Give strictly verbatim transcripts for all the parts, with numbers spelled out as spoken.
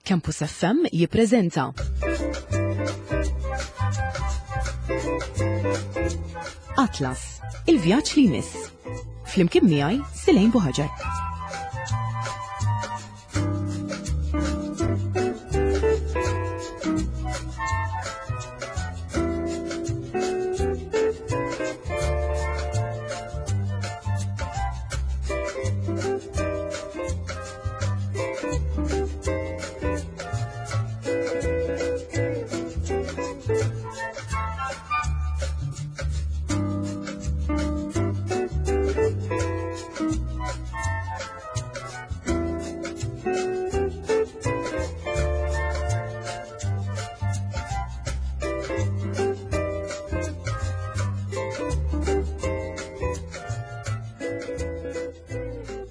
Campus F M jippreżenta Atlas, il-vjaġġ li jmiss. Flimkien miegħi Silejn Buħaġar.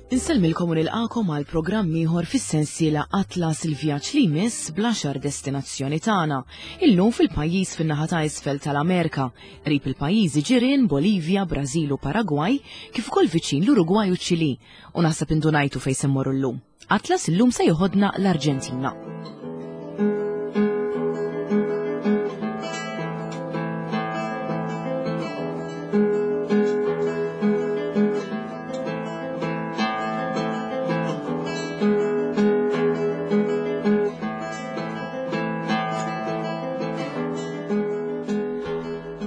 Insellmilkom u nilqakom għal programm ieħor fis-sensiela Atlas, il-vjaġġ li jmiss bl-għaxar destinazzjoni tagħna. Illum fil-pajjiż fin-naħa ta' isfel tal-Amerika, qrib il-pajjiżi ġirien Bolivja, Brażil u Paragwaj, kif ukoll viċin l-Urugwaj u Ċili. U naħseb indunajtu fejn se mmorru llum. Atlas illum se joħodna l-Arġentina.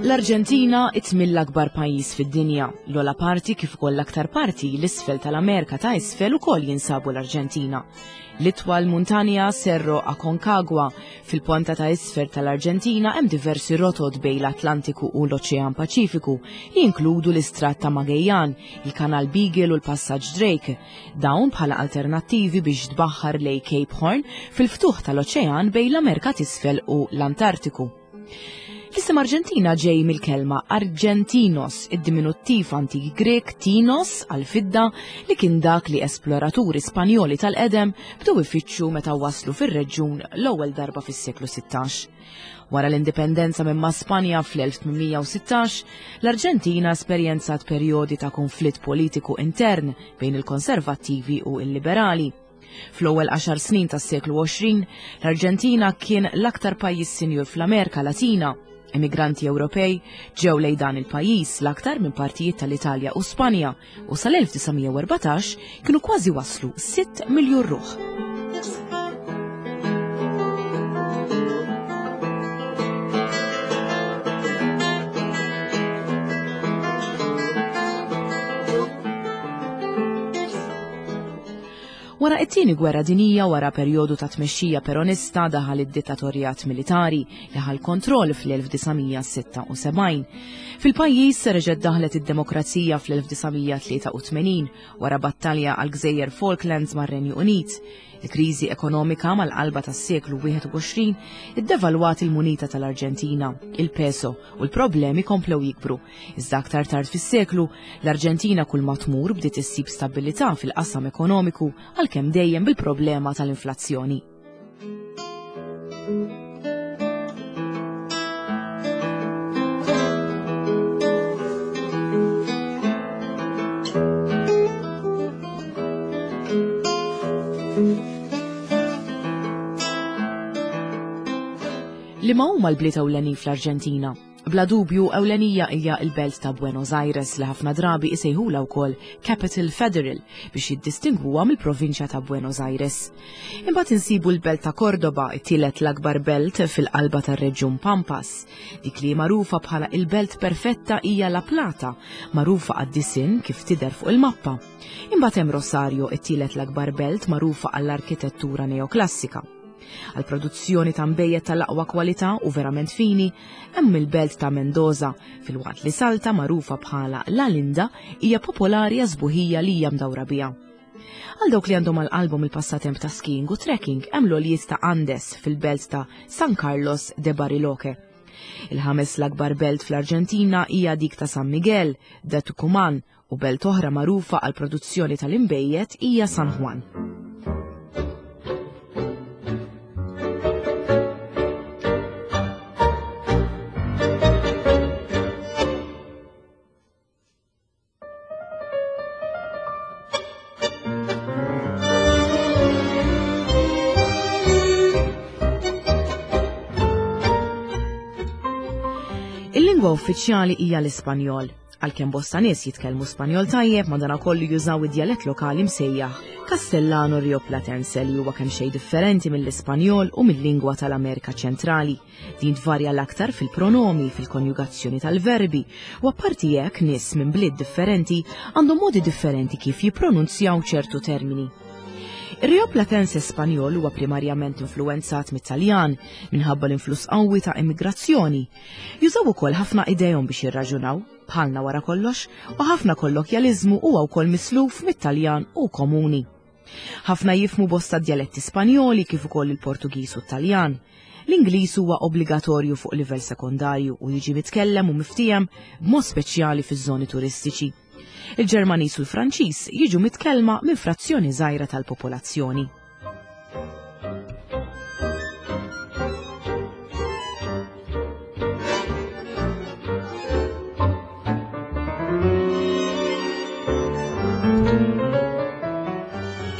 L-Arġentina it-tmien l-akbar pajjiż fid-dinja. L-ogħla parti kif ukoll l-aktar parti l-isfel tal-Amerika ta' isfel ukoll jinsabu l-Arġentina. L-itwal muntanja, Cerro Aconcagua, fil-ponta ta' isfel tal-Arġentina. Hemm diversi rotot bejn l-Atlantiku u l-Oċean Paċifiku li jinkludu l-Istrat ta' Magellan, il-Kanal Beagle u l-Passaġġ Drake. Dawn bħala alternattivi biex tbaħħar lejn Cape Horn fil-ftuħ tal-oċean bejn l-Amerika t'isfel u l-Antartiku. L-isem Arġentina ġej mill-kelma Argentinos, id-diminuttiv antik Grek tinos għal-fidda, li kien dak li esploraturi Spanjoli tal-qedem bdew ifittxu meta waslu fir-reġjun l-ewwel darba fis-seklu sittax. Wara l-indipendenza minn ma' Spanja fl-elf tmien mija u sittax, l-Arġentina esperjenzat perjodi ta' konflitt politiku intern bejn il-konservattivi u il-liberali. Fl-ewwel għaxar snin tas-seklu għoxrin, l-Arġentina kien l-aktar pajjiż sinjur fl-Amerika Latina. Emigranti Ewropej ġew lejn dan il-pajjiż l-aktar minn partijiet tal-Italja u Spanja u sal-elf disa' mija u erbatax kienu kważi waslu sitt miljun ruħ. Wara it-tieni gwerra dinija, wara perjodu ta' tmexxija peronista, daħal id-dittatorjat militari li ħa l-kontroll fl-elf disa' mija u sitta u sebgħin. Fil-pajjiż reġgħet daħlet id-demokrazija fl-elf disa' mija u tlieta u tmenin wara battalja għal gżejjer Falklands mar-Renju Unit. Il-kriżi ekonomika mal-qalba tas-seklu wieħed u għoxrin iddevalwat il-munita tal-Arġentina, il-peso, u l-problemi komplew jikbru. Iżda aktar tard fis-seklu, l-Arġentina kull ma tmur bdiet issib stabilità fil-qasam ekonomiku, għalkemm dejjem bil-problema tal-inflazzjoni. Liema huma l-bliet ewlenin fl-Arġentina? Bla dubju, ewlenija hija l-belt ta' Buenos Aires, li ħafna drabi isejħula wkoll Capital Federal biex jiddistingwuha mill-provinċja ta' Buenos Aires. Imbagħad insibu l-belt ta' Cordoba, it-tielet l-akbar belt fil-qalba tar-reġjun Pampas. Dik li magħrufa bħala il-belt perfetta hija La Plata, magħrufa għad-disinn kif tidher fuq il-mappa. Imbagħad hemm Rosario, it-tielet l-akbar belt, magħrufa għall-arkitettura neoklassika. Għal produzzjoni ta' nbejjed tal-aqwa kwalità u verament fini, hemm il-belt ta' Mendoza, filwaqt li Salta, magħrufa bħala La Linda, hija popolari għas-sbuħija li hija mdawra biha. Għal dawk li għandhom għal qalbhom il-passatemp ta' skiing u trekking, hemm l-għoljiet ta' Andes fil-belt ta' San Carlos de Bariloche. Il-ħames l-akbar belt fl-Arġentina hija dik ta' San Miguel de Tucumán, u belt oħra magħrufa għal produzzjoni tal-inbejjed hija San Juan. Il-lingwa uffiċjali hija l-Ispanjol. Għalkemm bosta nies jitkellmu Spanjol tajjeb, madanakollu jużaw id-djalett lokali msejjaħ Castellano Rioplatense, li huwa kemm xejn differenti mill-Ispanjol u mill-lingwa tal-Amerika Ċentrali. Din tvarja l-aktar fil-pronomi, fil-konjugazzjoni tal-verbi, u apparti hekk nies minn bliet differenti għandhom modi differenti kif jippronunzjaw ċertu termini. Ir-Rioplatense Spanjol huwa primarjament influwenzat mit-Taljan minħabba l-influss qawwi ta' immigrazzjoni. Jużaw ukoll ħafna idejhom biex jirraġunaw, bħalna wara kollox, u ħafna kollokjaliżmu huwa wkoll misluf mit-Taljan u komuni. Ħafna jifhmu bosta djaletti Spanjoli kif ukoll il-Portugiż u t-Taljan. L-Ingliż huwa obbligatorju fuq livell sekondarju u jiġi mitkellem u miftiehem b'mod speċjali fiż-żoni turistiċi. Il-Ġermaniż u l-Franċiż jiġu mitkellma minn frazzjoni żgħira tal-popolazzjoni.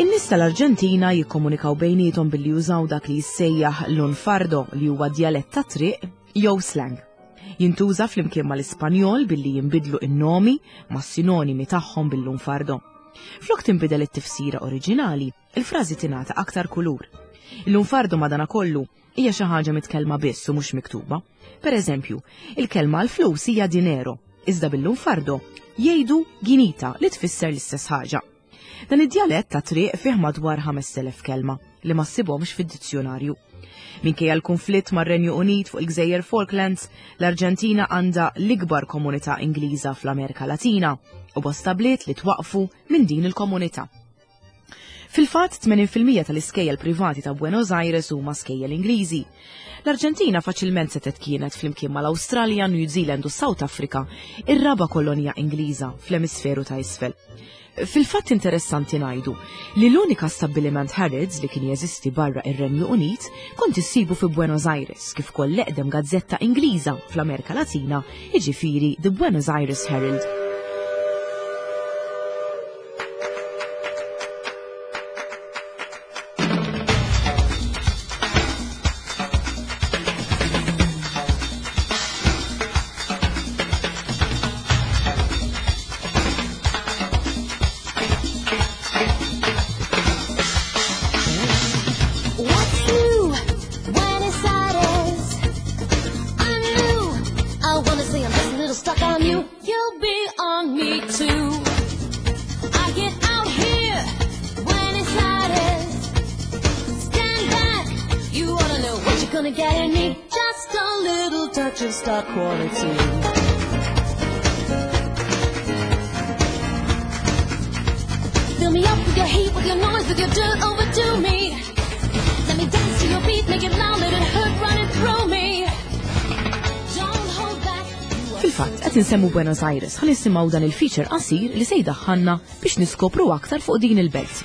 In-nies tal-Arġentina jikkomunikaw bejniethom billi jużaw dak li jissejjaħ lunfardo, li huwa djalett ta' triq jew slang. Jintuża flimkien mal-Ispanjol billi jinbidlu in-nomi ma' sinonimi tagħhom bil-lunfardo. Flok tinbidel it-tifsira oriġinali, il-frażi tingħata aktar kulur. Il-lunfardo madanakollu hija xi ħaġa mitkellma biss u mhux miktuba. Per eżempju, il-kelma għal-flus hija dinero, iżda bil-lunfardo jgħidu guinita, li tfisser l-istess ħaġa. Dan id-djalett ta' triq fih madwar ħamest elef kelma li ma ssibhomx fid-dizzjonarju. Minkejja l-konflitt mar-Renju Unit fuq il-Gżejjer Falklands, l-Arġentina għandha l-ikbar komunità Ingliża fl-Amerika Latina u bosta bliet li twaqfu minn din il-komunità. Fil-fatt, tmenin fil-mija tal-iskejjel privati ta' Buenos Aires huma skejjel Ingliżi. L-Arġentina faċilment setgħet kienet, flimkien mal-Awstralja, New Zealand u South Africa, ir-raba kolonja Ingliża fl-emisferu ta' isfel. Fil-fatt interessanti ngħidu li l-unika stabbiliment Harrods li kien jeżisti barra ir-Renju Unit kont issibu fi Buenos Aires, kif ukoll l-eqdem gazzetta Ingliża fl-Amerika Latina, jiġifieri The Buenos Aires Herald. What's new? Buenos Aires. I'm new. I wanna say I'm just a little stuck on you. You'll be on me too. I get out here, Buenos Aires. Stand back. You ought to know what you're gonna get in me. Just a little touch of star quality. Fill me up with your heat, with your noise, with your dirt, overdo me. Let me dance to your beat, make it loud, let it hurt running through me. Don't hold back. You are Fil-fatt, qed insemmu Buenos Aires, ħa nisimgħu dan il-feature qasir li se jdaħħalna biex niskopru aktar fuq din il-belt.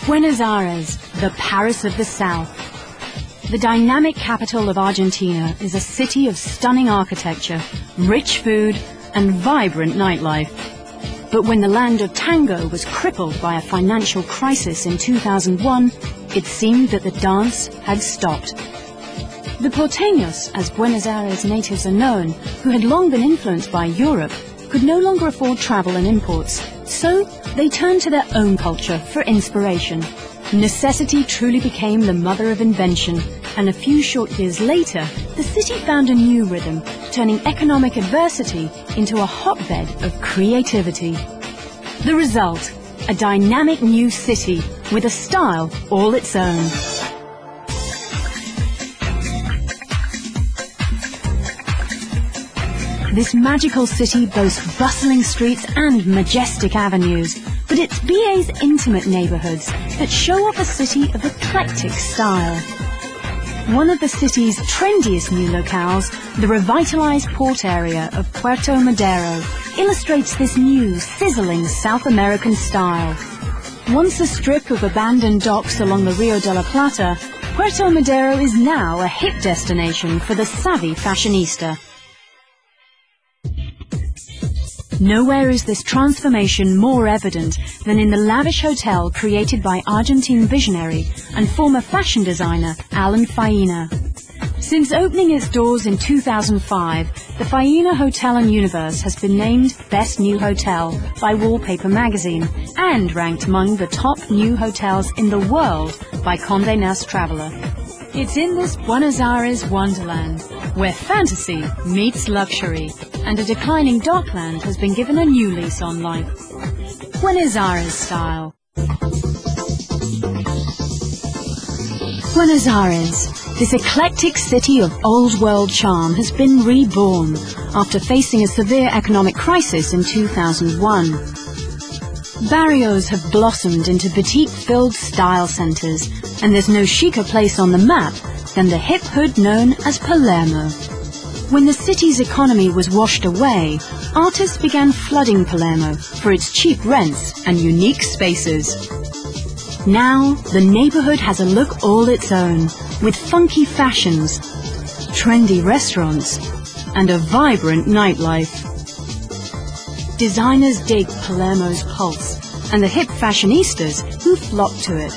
Buenos Aires, the Paris of the South. The dynamic capital of Argentina is a city of stunning architecture, rich food, and vibrant nightlife. But when the land of tango was crippled by a financial crisis in two thousand one, it seemed that the dance had stopped. The porteños, as Buenos Aires natives are known, who had long been influenced by Europe, could no longer afford travel and imports, so they turned to their own culture for inspiration. Necessity truly became the mother of invention, and a few short years later, the city found a new rhythm, turning economic adversity into a hotbed of creativity. The result, a dynamic new city with a style all its own. This magical city boasts bustling streets and majestic avenues, but it's B A's intimate neighborhoods that show off a city of eclectic style. One of the city's trendiest new locales, the revitalized port area of Puerto Madero, illustrates this new, sizzling South American style. Once a strip of abandoned docks along the Rio de la Plata, Puerto Madero is now a hip destination for the savvy fashionista. Nowhere is this transformation more evident than in the lavish hotel created by Argentine visionary and former fashion designer Alan Faena. Since opening its doors in two thousand five, the Faena Hotel and Universe has been named Best New Hotel by Wallpaper Magazine and ranked among the top new hotels in the world by Condé Nast Traveler. It's in this Buenos Aires wonderland where fantasy meets luxury and a declining dockland has been given a new lease on life. Buenos Aires style. Buenos Aires, this eclectic city of old-world charm, has been reborn after facing a severe economic crisis in two thousand one. Barrios have blossomed into boutique-filled style centers, and there's no chicer place on the map than the hip hood known as Palermo. When the city's economy was washed away, artists began flooding Palermo for its cheap rents and unique spaces. Now, the neighborhood has a look all its own, with funky fashions, trendy restaurants, and a vibrant nightlife. Designers dig Palermo's pulse, and the hip fashionistas who flock to it.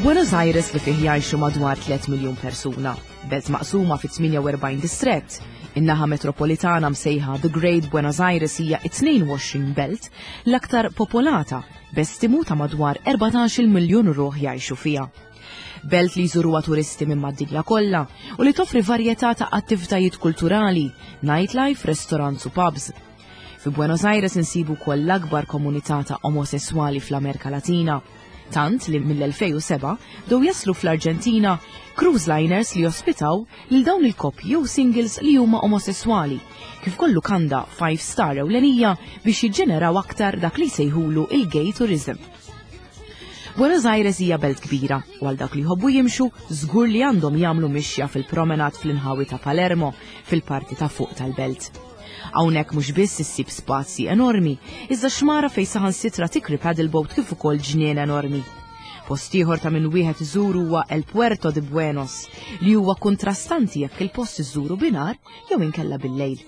Buenos Aires li fih jgħixu madwar tliet miljun persuna, belt maqsuma fi tmienja u erbgħin distrett. In-naħa metropolitana msejħa The Great Buenos Aires hija tnejn u għoxrin belt l-aktar popolata, b'estimu ta' madwar erbatax-il miljun ruħ jgħixu fiha. Belt li jżuruha turisti minn mad-dinja kollha u li toffri varjetà ta' attivitajiet kulturali, nightlife, restaurants u pubs. Fi Buenos Aires insibu wkoll l-akbar komunità ta' omosessuali fl-Amerika Latina. Tant li mill-elfejn u seba' bdew jaslu fl-Arġentina cruise liners li jospitaw lil dawn il-koppji jew singles li huma omosessuali, kif kollu kanda five star ewlenija biex jiġġeneraw aktar dak li jsejħulu il-gay tourism. Buenos Aires hija belt kbira u għal dak li jħobbu jimxu żgur li għandhom jagħmlu mixja fil-promenad fl-inħawi ta' Palermo fil-parti ta' fuq tal-belt. Hawnhekk mhux biss issib spazji enormi, iżda xmara fejn saħansitra tikri paddleboat kif ukoll ġnien enormi. Post ieħor ta' min wieħed iżuru huwa El Puerto de Buenos, li huwa kontrastanti jekk il-post iżuru binar jew inkella bil-lejl.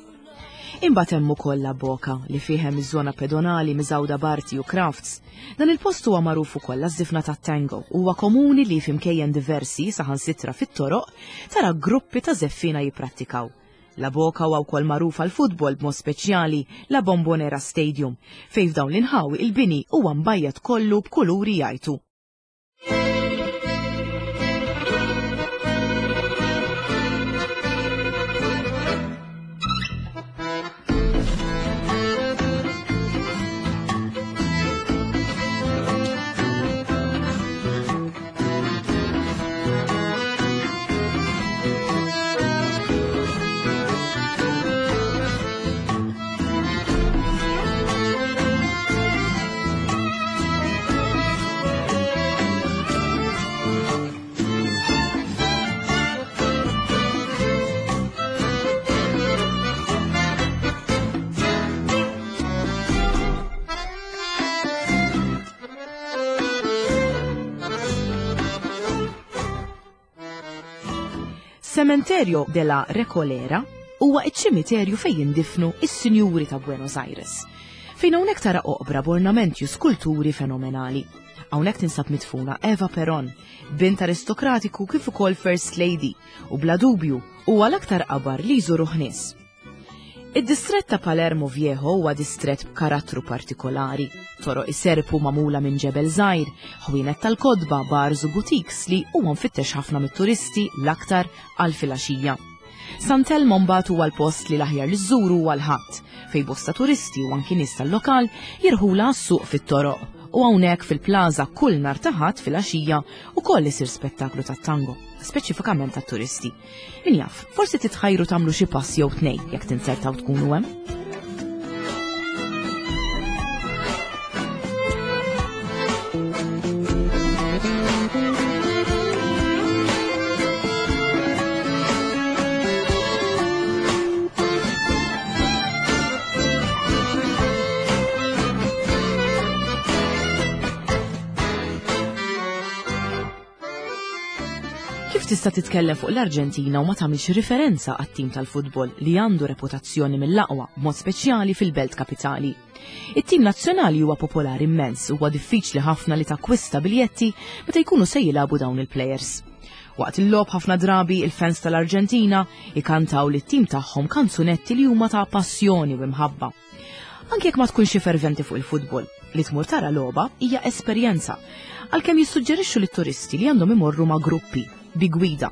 Imbagħad hemm ukoll La Boca li fih hemm iż-żona pedonali miżgħuda b'arti u crafts. Dan il-post huwa magħruf ukoll għaż-żifna tat-tango. Huwa komuni li f'imkejjen diversi saħansitra fit-toroq tara gruppi ta' żeffina jipprattikaw. La Boca huwa wkoll magħruf għall-futbol b'mod speċjali La Bombonera Stadium, fejn f'dawn l-inħawi il-bini huwa mbajjad kollu b'kuluri jgħajtu. Cementerio de la Recoleta huwa iċ-ċimiterju fejn jindifnu is-sinjuri ta' Buenos Aires, fejn hawnhekk tara oqbra b'ornamenti u skulturi fenomenali. Hawnhekk tinsab mitfuna Eva Peron, bint aristokratiku kif ukoll First Lady, u bla dubju huwa l-aktar qabar li jżuruh nies. Id-distrett ta' Palermo Viejo huwa distrett b'karattru partikolari. Toroq iserpu magħmula minn ġebel żgħir, ħwienet tal-kodba, bars u boutiques li huwa mfittex ħafna mit-turisti l-aktar għal filgħaxija. San Telmo mbagħad huwa l-post li l-aħjar li żżuru huwa l-Ħadd, fejn bosta turisti u anki nies tal-lokal jirħula għas-suq fit-toroq. U hawnhekk fil-plaza kull nhar ta' Ħadd filgħaxija ukoll isir spettaklu tat-tango, speċifikament tat-turisti. Min jaf, forsi titħajru tagħmlu xi pass jew tnejn jekk tinzertaw tkunu hemm. tista' titkellem fuq l-Arġentina u ma tagħmilx riferenza għat-tim tal-futbol li għandu reputazzjoni mill-aqwa, b'mod speċjali fil-belt kapitali. It-tim nazzjonali huwa popolari immens u huwa diffiċli ħafna li takkwista biljetti meta jkunu se jilagħbu dawn il-plejers. Waqt il-logħob ħafna drabi il-fans tal-Arġentina ikantaw lit-tim tagħhom kanzunetti li huma ta' passjoni u imħabba. Anke jekk ma tkunx ferventi fuq il-futbol, li tmur tara logħba hija esperjenza, għalkemm jissuġġerixxu lit-turisti li għandhom imorru ma' gruppi bi gwida.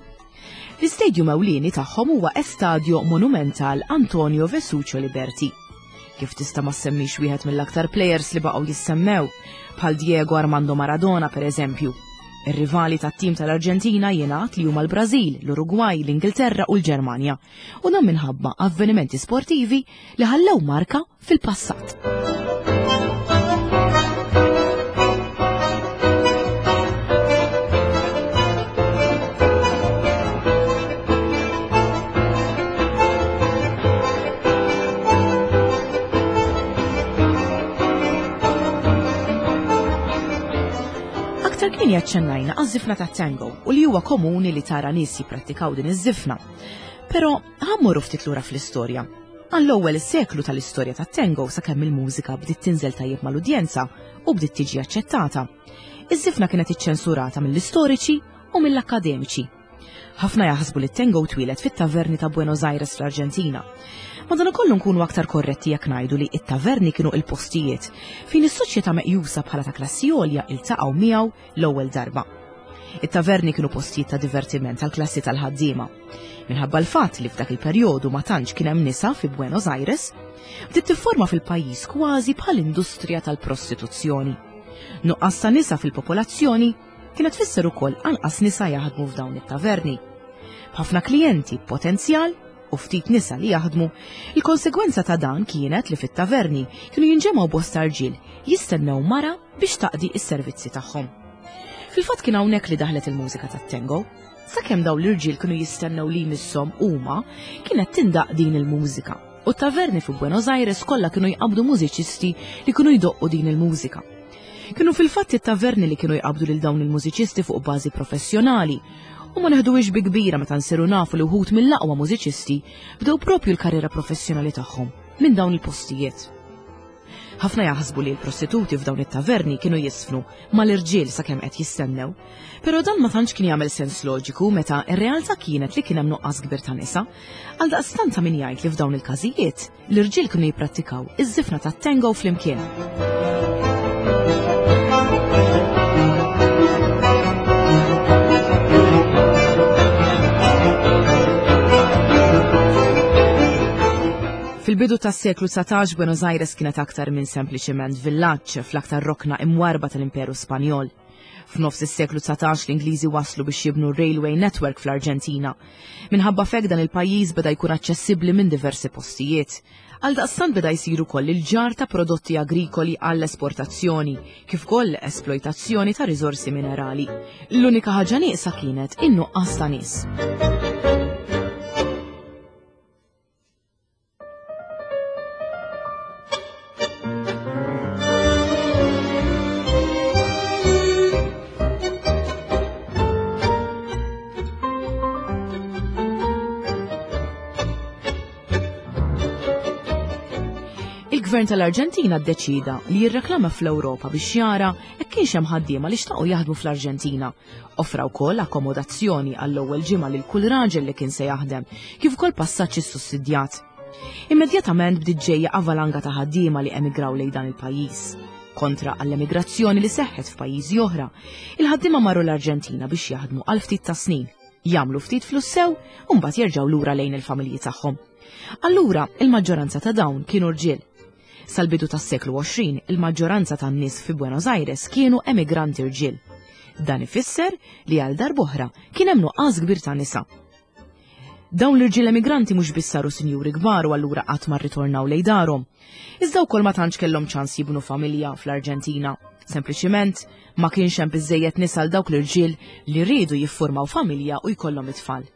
L-istadium ewlieni tagħhom huwa Estadio Monumental Antonio Vespucio Liberti. Kif tista' ma semmix wieħed mill-aktar players li baqgħu jissemmew, bħal Diego Armando Maradona per eżempju. Ir-rivali tat-tim tal-Arġentina jingħad li huma l-Brażil, l-Urugwaj, l-Ingilterra u l-Ġermanja, u dan minħabba avvenimenti sportivi li ħallew marka fil-passat. Aktar kmieni aċċennajna għaż-żifna tat-tango u li huwa komuni li tara nies jipprattikaw din iż-żifna. Però ħa mmorru ftit lura fl-istorja. Għall-ewwel seklu tal-istorja tat-tango sakemm il-mużika bdiet tinżel tajjeb mal-udjenza u bdiet tiġi aċċettata. Iż-żifna kienet iċċensurata mill-istoriċi u mill-akkademiċi. Ħafna jaħsbu li t-tango twieled fit-taverni ta' Buenos Aires fl-Arġentina. Madankollu nkunu aktar korretti jekk ngħidu li it-taverni kienu il-postijiet fejn is-soċjetà meqjusa bħala ta' klassi għolja iltaqgħu miegħu l-ewwel darba. It-taverni kienu postijiet ta' divertiment tal-klassi tal-ħaddiema. Minħabba l-fatt li f'dak il-perjodu ma tantx kien hemm nisa fi Buenos Aires, bdiet tifforma fil-pajjiż kważi bħal industrija tal-prostituzzjoni. Nuqqas ta' nisa fil-popolazzjoni kienet tfisser ukoll anqas nisa jaħdmu f'dawn it-taverni. B'ħafna klijenti potenzjal u ftit nisa li jaħdmu, il-konsegwenza ta' dan kienet li fit-taverni kienu jinġemgħu bosta rġiel jistennew mara biex taqdi s-servizzi tagħhom. Fil-fatt kien hawnhekk li daħlet il-mużika tat-tango. Sakemm dawn l-irġiel kienu jistennew li jmisshom huma, kienet tindaq din il-mużika. U t-taverni fi Buenos Aires kollha kienu jqabdu mużiċisti li kienu jdoqqu din il-mużika. Kienu fil-fatt it-taverni li kienu jqabdu lil dawn il-mużiċisti fuq bażi professjonali, u ma neħduhiex bi kbira meta nsiru nafu li wħud mill-aqwa mużiċisti bdew propju l-karriera professjonali tagħhom minn dawn il-postijiet. Ħafna jaħsbu li l-prostituti f'dawn it-taverni kienu jisfnu mal-irġiel sakemm qed jistennew, però dan ma tantx kien jagħmel sens loġiku meta r-realtà kienet li kien hemm nuqqas kbir ta' nisa, għaldaqstant ta' min jgħid li f'dawn il-każijiet l-irġiel kienu jipprattikaw iż-żifna tat-tango flimkien. Fil-bidu tas-seklu dsatax Buenos Aires kienet aktar minn sempliċement villaġġ fl-aktar rokna imwarba tal-Imperu Spanjol. F'nofs is-seklu dsatax l-Ingliżi waslu biex jibnu railway network fl-Arġentina. Minħabba f'hekk dan il-pajjiż beda jkun aċċessibbli minn diversi postijiet. Għaldaqstant beda jsir ukoll il-ġar ta' prodotti agrikoli għall-esportazzjoni, kif ukoll esploitazzjoni ta' riżorsi minerali. L-unika ħaġa nieqsa kienet in-nuqqas ta' nies. Il-Gvern tal-Arġentina ddeċida li jirreklama fl-Ewropa biex jara jekk kienx hemm ħaddiema li xtaqu jaħdmu fl-Arġentina. Offra wkoll akkomodazzjoni għall-ewwel ġimgħa lil kull raġel li kien se jaħdem, kif ukoll passaġġ issussidjat. Immedjatament bdiet ġejja avalanga ta' ħaddiema li emigraw lejn dan il-pajjiż. Kontra għall-emigrazzjoni li seħħet f'pajjiżi oħra, il-ħaddiema marru l-Arġentina biex jaħdmu għal ftit ta' snin, jagħmlu ftit flus sew u mbagħad jerġgħu lura lejn il-familji tagħhom. Allura, il-maġġoranza ta' dawn kienu rġiel. Sal-bidu tas-seklu għoxrin, il-maġġoranza tan-nies fi Buenos Aires kienu emigranti rġiel. Dan ifisser li għal darb'oħra kien hemm nuqqas kbir ta' nisa. Dawn l-irġiel emigranti mhux biss saru sinjuri kbar u allura qatt ma rritornaw lejn darhom. Iżda wkoll ma tantx kellhom ċans jibnu familja fl-Arġentina. Sempliċiment ma kienx hemm biżejjed nisa għal dawk l-irġiel li riedu jiffurmaw familja u jkollhom it-tfal.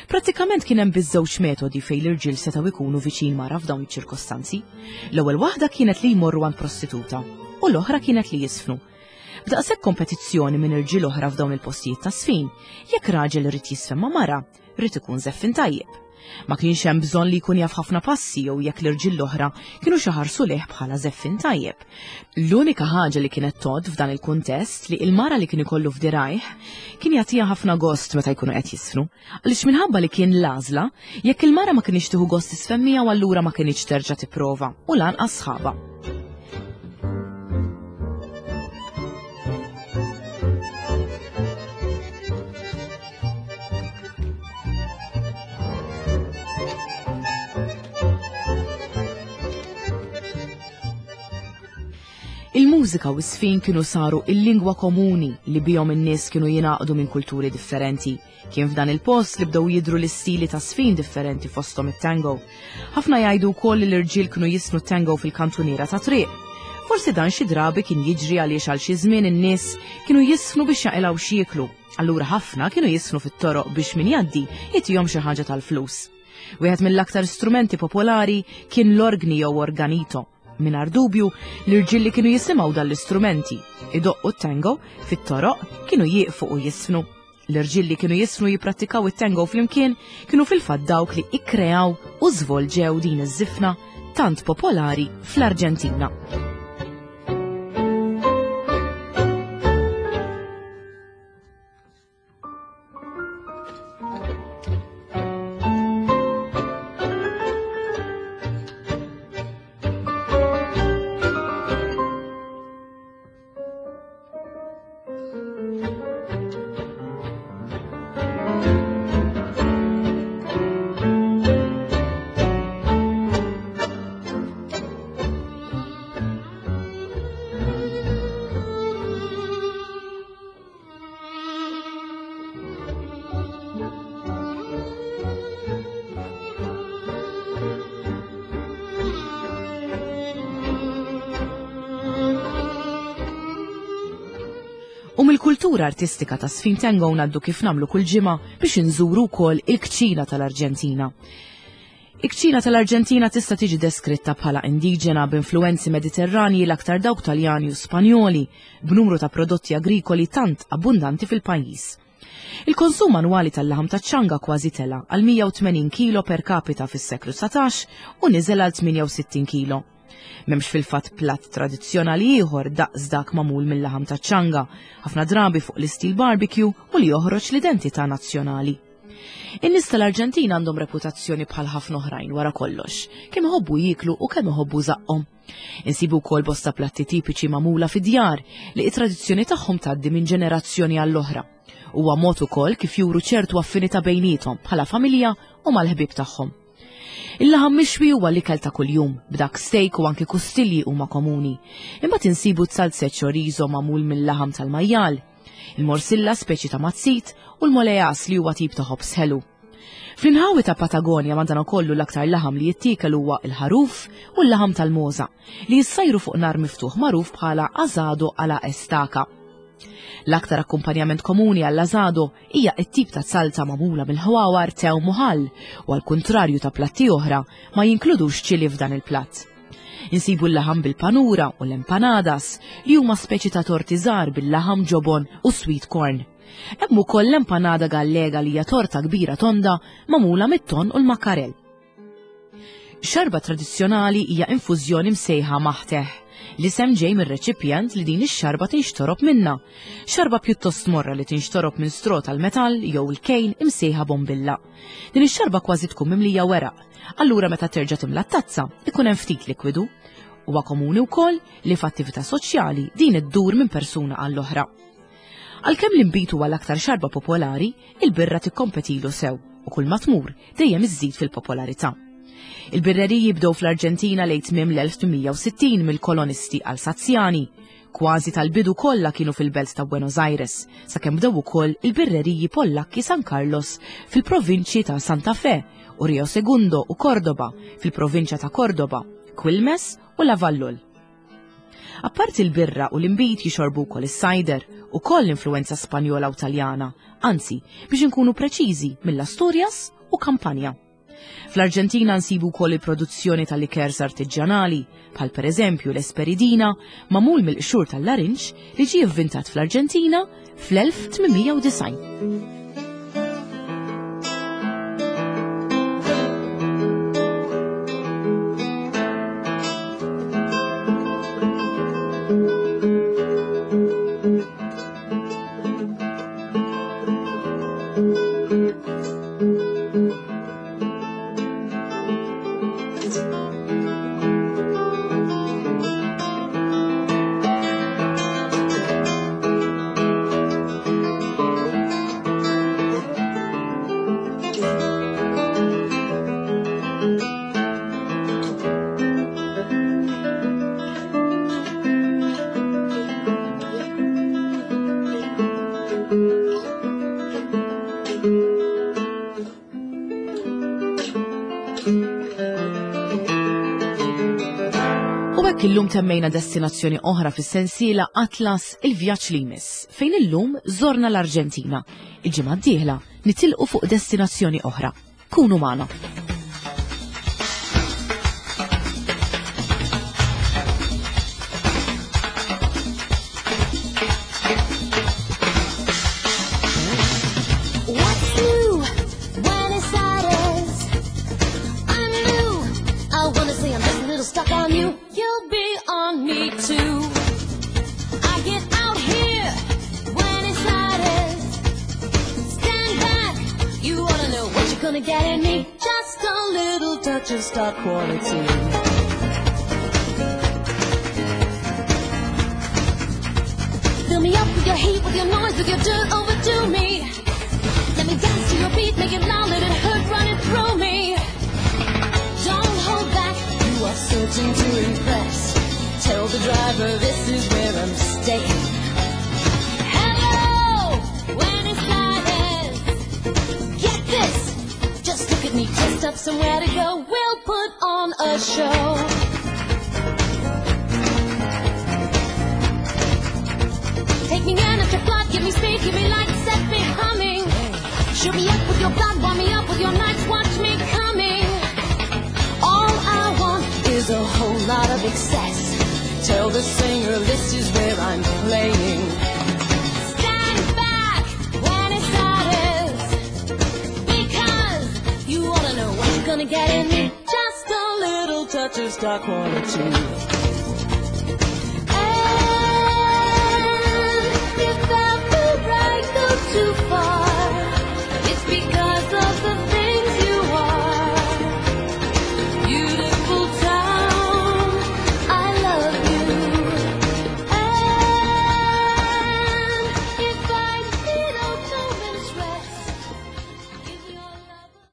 Prattikament kien hemm biss żewġ metodi fejn l-irġiel setgħu jkunu viċin mara f'dawn iċ-ċirkostanzi. L-ewwel waħda kienet li jmorru għand prostituta u l-oħra kienet li jisfnu. B'daqshekk kompetizzjoni minn irġiel oħra f'dawn il-postijiet ta' sfin, jekk raġel irid jisfen ma' mara, rrid ikun żeffin tajjeb. Ma kienx hemm bżonn li jkun jaf ħafna passi jew jekk l-irġiel l-oħra kienu xi ħarsu lejh bħala żeffin tajjeb. L-unika ħaġa li kienet tgħodd f'dan il-kuntest li il-mara li kien ikollu f'dirajh kien jagħtiha ħafna gost meta jkunu qed jisfnu, għaliex minħabba li kien l-għażla, jekk il-mara ma kienx tieħu gost tisfen miegħu allura ma kienx terġa' tipprova u lanqas sħaba. Il-mużika u s-sfin kienu saru il-lingwa komuni li bihom in-nies kienu jingħaqdu minn kulturi differenti. Kien f'dan il-post li bdew jidhru l-istili ta' sfin differenti fosthom it-tango. Ħafna jgħidu wkoll li l-irġiel kienu jisnu tango fil-kantuniera ta' triq. Forsi dan xi drabi kien jiġri għaliex għal xi żmien in-nies kienu jisfnu biex jaqilgħu x'jieklu. Allura ħafna kienu jisfnu fit-toroq biex min jgħaddi jitihom xi ħaġa tal-flus. Wieħed mill-aktar strumenti popolari kien l-orgni jew organito. Mingħajr dubju, l-irġiel li kienu jisimgħu dan l-istrumenti idoqqu t-tango fit-toroq kienu jieqfu u jisfnu. L-irġiel li kienu jisfnu jipprattikaw it-tango flimkien kienu fil-fatt dawk li ikkreaw u żvolġew din iż-żifna tant popolari fl-Arġentina. U mill-kultura artistika ta' sfin tango ngħaddu kif nagħmlu kull ġimgħa biex inżuru wkoll il-kċina tal-Arġentina. Il-kċina tal-Arġentina tista' tiġi deskritta bħala indiġena b'influwenzi Mediterranji l-aktar dawk Taljani u Spanjoli, b'numru ta' prodotti agrikoli tant abbundanti fil-pajjiż. Il-konsum annwali tal-laħam taċ-ċanga kważi tela għal mija u tmenin kilo per capita fis-seklu satax u niżel għal tmienja u sittin kilo. M'hemmx fil-fatt platt tradizzjonali ieħor daqs dak magħmul mill-laħam taċ-ċanga, ħafna drabi fuq l-istil barbecue u li joħroġ l-identità nazzjonali. In-nies tal-Arġentina għandhom reputazzjoni bħal ħafna oħrajn wara kollox, kemm iħobbu jieklu u kemm iħobbu żaqqhom. Insibu wkoll bosta platti tipiċi magħmula fid-djar li t-tradizzjoni tagħhom tgħaddi minn ġenerazzjoni għall-oħra. Huwa mod ukoll kif juru ċertu affinità bejniethom bħala familja u mal-ħbieb tagħhom. Il-laħam mixwi huwa l-ikel ta' kuljum, b'dak steak u anki kustilji huma komuni. Imbagħad insibu t-salzet chorizo magħmul mill-laħam tal-majjal, il-morsilla speċi ta' mazzit u l-molejas li huwa tip ta' ħobż ħelu. Fl-inħawi ta' Patagonia madanakollu l-aktar laħam li jittiekel huwa l-ħaruf u l-laħam tal-moza li jissajru fuq nar miftuħ magħruf bħala asado alla estaca. L-aktar akkumpanjament komuni għall-asado hija t-tip ta' salza magħmula mill-ħwawar tew muħall u għal kuntrarju ta' platti oħra ma jinkludux ċili f'dan il-platt. Insibu l-laħam bil-panura u l-empanadas li huma speċi ta' torti żgħar bil-laħam ġobon u sweet corn. Hemm ukoll l-empanada gallega li hija torta kbira tonda magħmula mit-ton u l-makkarel. Xarba tradizzjonali hija infużjoni msejħa maħteħ. L-isem ġej mir-reċipjent li din ix-xarba tinxtorob minna. Xarba pjuttost morra li tinxtorob minn stro tal-metall jew il-kejn imsejħa bombilla. Din ix-xarba kważi tkun mimlija weraq. Allura meta terġa' timla t-tazza ikun hemm ftit likwidu. Huwa komuni wkoll li f'attività soċjali din iddur minn persuna għall-oħra. Għalkemm l-inbid huwa l-aktar xarba popolari, il-birra tikkompetilu sew u kull ma tmur dejjem iżżid fil-popolarità. Il-birreriji bdew fl-Arġentina lejn tmiem l-elf tmien mija u sittin mill-kolonisti Alsazjani. Kważi tal-bidu kollha kienu fil-belt ta' Buenos Aires, sakemm bdew ukoll il-birreriji Pollakki San Carlos fil-provinċji ta' Santa Fe u Rio Segundo u Cordoba fil-provinċja ta' Cordoba, Quilmes u Lavallol. Apparti l-birra u l-inbid jixorbu wkoll is-sajder u koll l-influenza Spanjola u Taljana, anzi biex inkunu preċiżi mill-Asturias u Kampanja. Fl-Arġentina nsibu wkoll il-produzzjoni tal-likers artiġjanali, bħal pereżempju l-Esperidina, magħmul mill-qxur tal-larinġ li ġie ivvintat fl-Arġentina fl-elf tmien mija u disgħin. U hekk illum temmejna destinazzjoni oħra fis-sensiela Atlas il-vjaġġ li jmiss, fejn illum żorna l-Arġentina. Il-ġimgħa d-dieħla nitilqu fuq destinazzjoni oħra. Kunu magħna. What's new? Buenos Aires. I'm new. I wanna say I'm just a little stuck on you. You'll be on me too. I get out here, Buenos Aires. Stand back. You ought to know what you're gonna get in me. Just a little touch of star quality. Fill me up with your heat, with your noise, with your dirt, overdo me. Let me dance to your beat, make it loud, let it hurt, run it through me. Don't hold back, you are certain to impress. Tell the driver this is where I'm staying. Hello, Buenos Aires. Get this, just look at me, dressed up somewhere to go. We'll put on a show. Take me in at your flood, give me speed, give me light, set me humming. Shoot me up with your blood, warm me up with your nights, watch me coming. All I want is a whole lot of excess. Tell the singer this is where I'm playing. Stand back, Buenos Aires, because you ought to know what you're gonna get in me. Just a little touch of star quality.